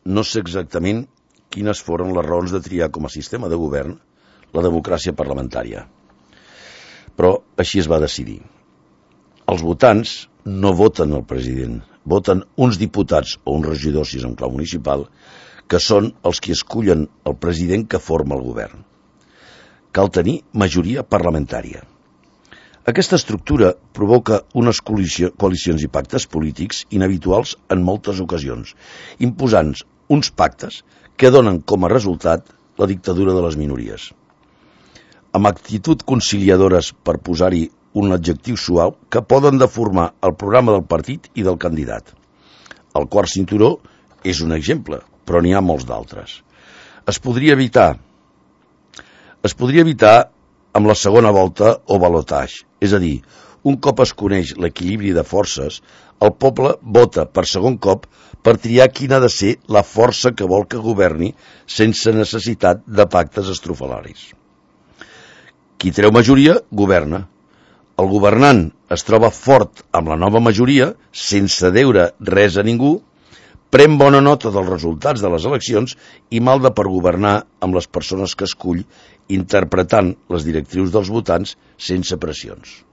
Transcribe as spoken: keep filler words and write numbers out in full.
no sé exactament quines foren les raons de triar com a sistema de govern la democràcia parlamentària, però així es va decidir. Els votants no voten el president, voten uns diputats o uns regidors, si és en clau municipal, que són els que escullen el president que forma el govern. Cal tenir majoria parlamentària. Aquesta estructura provoca unes coalicions i pactes polítics inhabituals en moltes ocasions, imposant uns pactes que donen com a resultat la dictadura de les minories. Amb actitud conciliadores, per posar-hi un adjectiu suau, que poden deformar el programa del partit i del candidat. El quart cinturó és un exemple, però n'hi ha molts d'altres. Es podria evitar, es podria evitar amb la segona volta o balotatge, és a dir, un cop es coneix l'equilibri de forces, el poble vota per segon cop per triar quina ha de ser la força que vol que governi sense necessitat de pactes estrofalaris. Qui treu majoria, governa. El governant es troba fort amb la nova majoria, sense deure res a ningú, pren bona nota dels resultats de les eleccions i malda per governar amb les persones que escull, interpretant les directrius dels votants sense pressions.